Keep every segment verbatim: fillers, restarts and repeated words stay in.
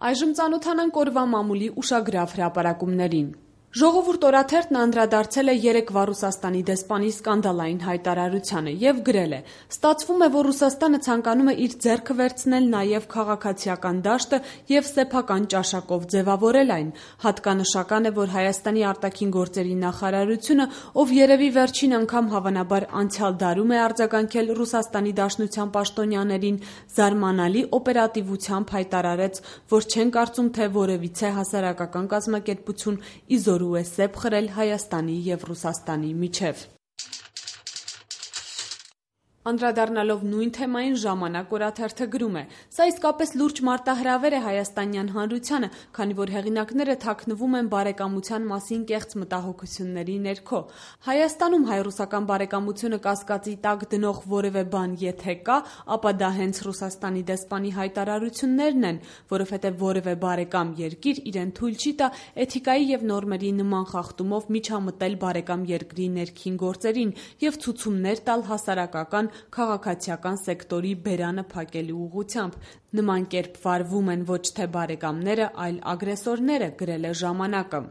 Այժմ ծանոթանանք օրվա մամուլի ուշագրավ հրապարակումներին։ Ժողովուրդ օրաթերթն անդրադարձել է երեկվա Ռուսաստանի դեսպանի սկանդալային հայտարարությանը եւ գրել է. «Ստացվում է, որ Ռուսաստանը ցանկանում է իր ձեռքը վերցնել նաեւ քաղաքացիական դաշտը եւ սեփական ճաշակով ձեւավորել այն։ Հատկանշական է, որ Հայաստանի արտաքին գործերի նախարարությունը, ով երևի վերջին անգամ հավանաբար անցյալ դարում է արձագանքել Ռուսաստանի Դաշնության պաշտոնյաներին, զարմանալի օպերատիվությամբ հայտարարեց, որ չեն կարծում, թե որևիցե հասարակական կազմակերպություն իզորու է սեպ խրել Հայաստանի եւ Ռուսաստանի միջեւ»։ Անդրադառնալով նույն թեմային «Ժամանակ» օրաթերթը գրում է. «Սա իսկապես լուրջ մարտահրավեր է հայաստանյան հանրությանը, քանի որ հեղինակները թաքնվում են բարեկամության մասին կեղծ մտահոգությունների ներքո։ Հայաստանում հայ-ռուսական բարեկամությունը կասկածի տակ դնող որևէ բան եթե կա, ապա դա հենց Ռուսաստանի դեսպանի հայտարարություններն են, որովհետև որևէ բարեկամ երկիր իրեն թույլ չի տա էթիկայի եւ նորմերի նման խախտումով միջամտել բարեկամ երկրի ներքին գործերին եւ ցուցումներ տալ հասարակական քաղաքացիական սեկտորի բերանը փակելու ուղղությամբ։ Նման կերպ վարվում են ոչ թե բարեկամները, այլ ագրեսորները», գրել է «Ժամանակը»։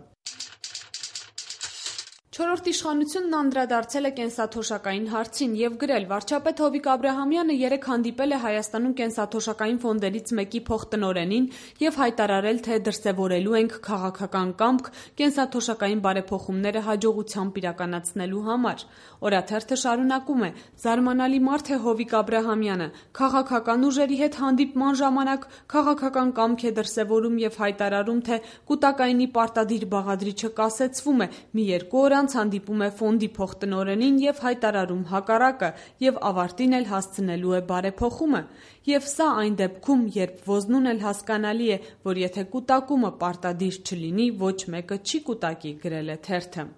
Չորրորդ իշխանությունն անդրադարձել է կենսաթոշակային հարցին եւ գրել. «Վարչապետ Հովիկ Աբրահամյանը երեկ հանդիպել է Հայաստանում կենսաթոշակային ֆոնդերից մեկի փոխտնօրենին եւ հայտարարել, թե դրսեւորելու ենք քաղաքական կամք կենսաթոշակային բարեփոխումները հաջողությամբ իրականացնելու համար»։ Օրաթերթը շարունակում է. «Զարմանալի մարդ է Հովիկ Աբրահամյանը։ Քաղաքական ուժերի հետ հանդիպման ժամանակ քաղաքական կամք է դրսեւորում եւ հայտարարում, թե կուտակայինի պարտադիր բաղադրիչը կասեցվում է, մի երկու օր անց հանդիպում է ֆոնդի փոխտնօրենին եւ հայտարարում հակառակը եւ ավարտին էլ հասցնելու է բարեփոխումը։ Եվ սա այն դեպքում, երբ ոզնուն էլ հասկանալի է, որ եթե կուտակումը պարտադիր չլինի, ոչ մեկը չի կուտակի», գրել է թերթը։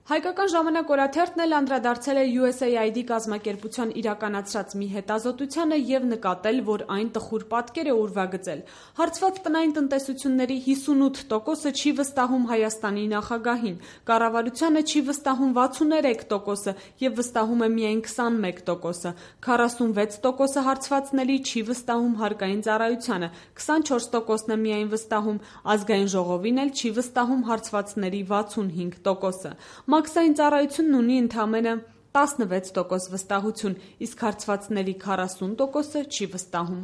Հայկական ժամանակ օրաթերթն էլ անդրադարձել է յու էս էյ այ դի կազմակերպության իրականացրած մի հետազոտությանը եւ նկատել, որ այն տխուր պատկեր է ուրվագծել։ Հարցված տնային տնտեսությունների հիսունութ տոկոսը չի վստահում Հայաստանի նախագահին, կառավարությանը չի վստահում վաթսուններեք տոկոսը եւ վստահում է միայն քսանմեկ տոկոսը, քառասունվեց տոկոսը հարցվածների չի վստահում հարկային ծառայությանը, քսանչորս տոկոսն է միայն վստահում, ազգային ժողովին էլ չի վստահում հարցվածների վաթսունհինգ տոկոսը։ Մաքսային ծառայությունն ունի ընդամենը տասնվեց տոկոս վստահություն, իսկ հարցվածների քառասուն տոկոսը չի վստահում։